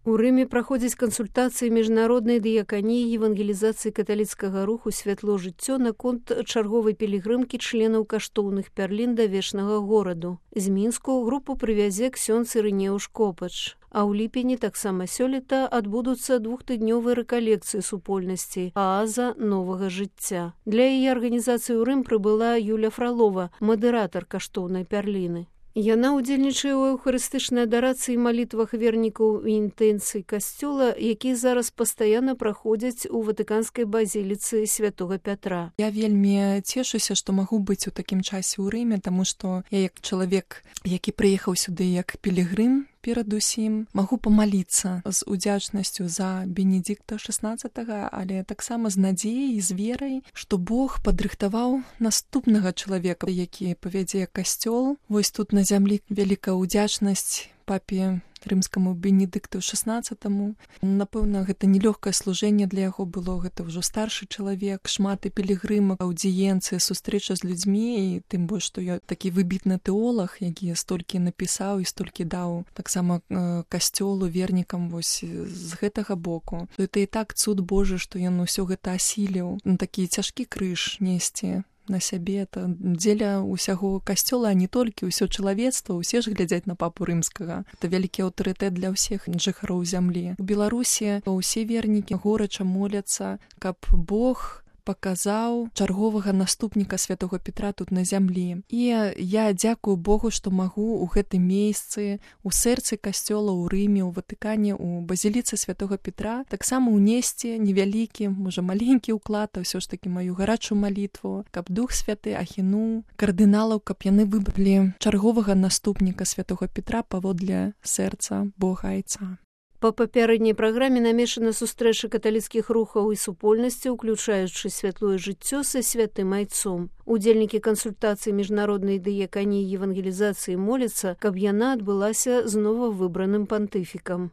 У Рыме праходзяць кансультацыі міжнароднай дыяканіі евангелізацыі каталіцкага руху «Святло жыццё» наконт чарговай пілігрымкі членаў каштоўных пярлін да вечнага гораду. З Мінску групу прывязе ксёндз Ірынеуш Копач. А ў ліпені таксама сёлета адбудуцца двухтыднёвыя рэкалекцыі супольнасці «Ааза новага жыцця». Для яе арганізацыі ў Рым прыбыла Юля Фралова, мадэратар каштоўнай пярліны. Яна ўдзельнічае ў эўхарыстычнай адарацыі і малітвах вернікаў і інтэнцый касцёла, якія зараз пастаянна праходзяць у ватыканскай базіліцы святога Пятра. Я вельмі цешуся, што магу быць у такім часе ў Рыме, таму што я як чалавек, які прыехаў сюды як пілігрым, перадусім магу памаліцца з удзячнасцю за Бенедикта XVI, але таксама з надзеяй і з верай, што Бог падрыхтаваў наступнага чалавека, які павядзе касцёл. Вось тут на зямлі вялікая ўдзячнасць папе рымскаму Бенедикту XVI. Напэўна, гэта нелёгкае служэнне для яго было, гэта ўжо старшы чалавек, шмат і пілігрымак, аўдыенцыі, сустрэча з людзьмі, і тым больш, што я такі выбітны тэолаг, які столькі напісаў і столькі даў таксама касцёлу, вернікам вось з гэтага боку. Гэта і так цуд Божы, што ён усё гэта асіліў, такі цяжкі крыж несці на сябе, это дзеля ўсяго касцёла, а не толькі ўсё чалавецтва, усе ж глядзяць на папу рымскага. Это вялікі аўтарытэт для ўсіх жыхароў зямлі. У Беларусі ўсе вернікі горача моляцца, каб Бог паказаў чарговага наступніка святого Петра тут на зямлі. І я дзякую Богу, што магу ў гэтым месцы, у сэрцы касцёла, ў Рыме, у Ватыкане, у базіліцы святого Петра таксама ўнесці невялікі, можа маленькі ўклад, а ўсё ж такі маю гарачую малітву, каб Дух Святы ахінуў кардыналаў, каб яны выбралі чарговага наступніка святого Петра паводле сэрца Бога Айца. Па папярэдняй праграме намешана сустрэча каталіцкіх рухаў і супольнасці, уключаючы святлое жыццё са святым айцом. Удзельнікі кансультацыі міжнароднай дыяканіі евангелізацыі моляцца, каб яна адбылася з новавыбраным пантыфікам.